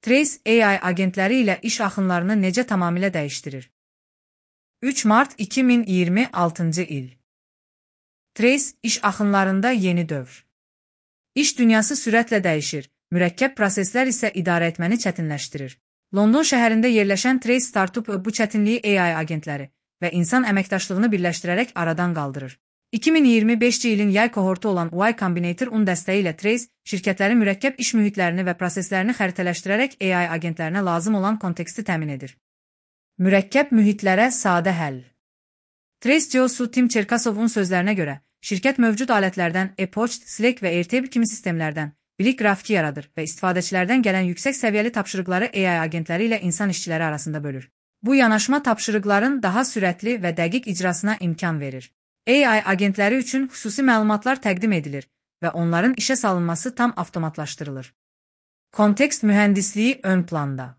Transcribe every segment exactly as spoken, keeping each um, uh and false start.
Trace A I agentləri ilə iş axınlarını necə tamamilə dəyişdirir? üç mart iki min iyirmi altıncı il. Trace iş axınlarında yeni dövr. İş dünyası sürətlə dəyişir, mürəkkəb proseslər isə idarə etməni çətinləşdirir. London şəhərində yerləşən Trace Startup bu çətinliyi A I agentləri və insan əməkdaşlığını birləşdirərək aradan qaldırır. iki min iyirmi beşinci ilin yay kohortu olan Y Combinator un dəstəyi ilə Trace, şirkətlərin mürəkkəb iş mühitlərini və proseslərini xəritələşdirərək A I agentlərinə lazım olan konteksti təmin edir. Mürəkkəb mühitlərə sadə həll. Trace C E O-su Tim Cherkasovun sözlərinə görə, şirkət mövcud alətlərdən e-poçt, Slack və Airtable kimi sistemlərdən bilik qrafiki yaradır və istifadəçilərdən gələn yüksək səviyyəli tapşırıqları A I agentləri ilə insan işçiləri arasında bölür. Bu yanaşma tapşırıqların daha sürətli və dəqiq icrasına imkan verir. A I agentləri üçün xüsusi məlumatlar təqdim edilir və onların işə salınması tam avtomatlaşdırılır. Kontekst mühəndisliyi ön planda.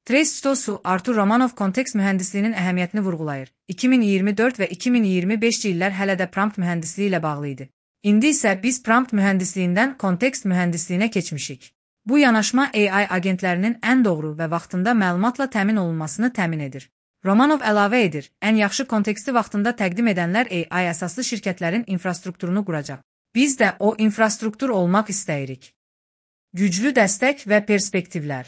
Trace C E O-su Artur Romanov kontekst mühəndisliyinin əhəmiyyətini vurğulayır. iki min iyirmi dörd və iki min iyirmi beşinci illər hələ də prompt mühəndisliyi ilə bağlı idi. İndi isə biz prompt mühəndisliyindən kontekst mühəndisliyinə keçmişik. Bu yanaşma A I agentlərinin ən doğru və vaxtında məlumatla təmin olunmasını təmin edir. Romanov əlavə edir, ən yaxşı konteksti vaxtında təqdim edənlər A I əsaslı şirkətlərin infrastrukturunu quracaq. Biz də o infrastruktur olmaq istəyirik. Güclü dəstək və perspektivlər.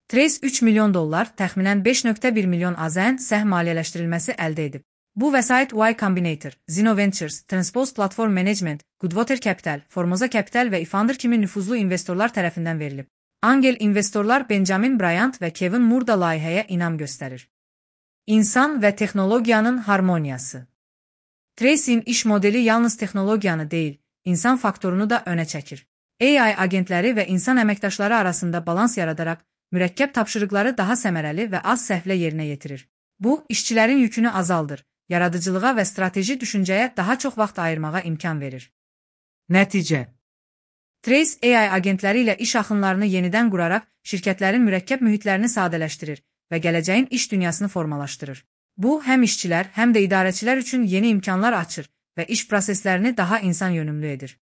Trace üç milyon dollar, təxminən beş nöqtə bir milyon A Z N səhm maliyyələşdirilməsi əldə edib. Bu vəsait Y Combinator, Zeno Ventures, Transpose Platform Management, Goodwater Capital, Formosa Capital və eFounder kimi nüfuzlu investorlar tərəfindən verilib. Angel investorlar Benjamin Bryant və Kevin Moore da layihəyə inam göstərir. İnsan və texnologiyanın harmoniyası. Trace'in iş modeli yalnız texnologiyanı deyil, insan faktorunu da önə çəkir. A I agentləri və insan əməkdaşları arasında balans yaradaraq, mürəkkəb tapşırıqları daha səmərəli və az səhvlə yerinə yetirir. Bu, işçilərin yükünü azaldır, yaradıcılığa və strateji düşüncəyə daha çox vaxt ayırmağa imkan verir. Nəticə. Trace A I agentləri ilə iş axınlarını yenidən quraraq, şirkətlərin mürəkkəb mühitlərini sadələşdirir və gələcəyin iş dünyasını formalaşdırır. Bu, həm işçilər, həm də idarəçilər üçün yeni imkanlar açır və iş proseslərini daha insan yönümlü edir.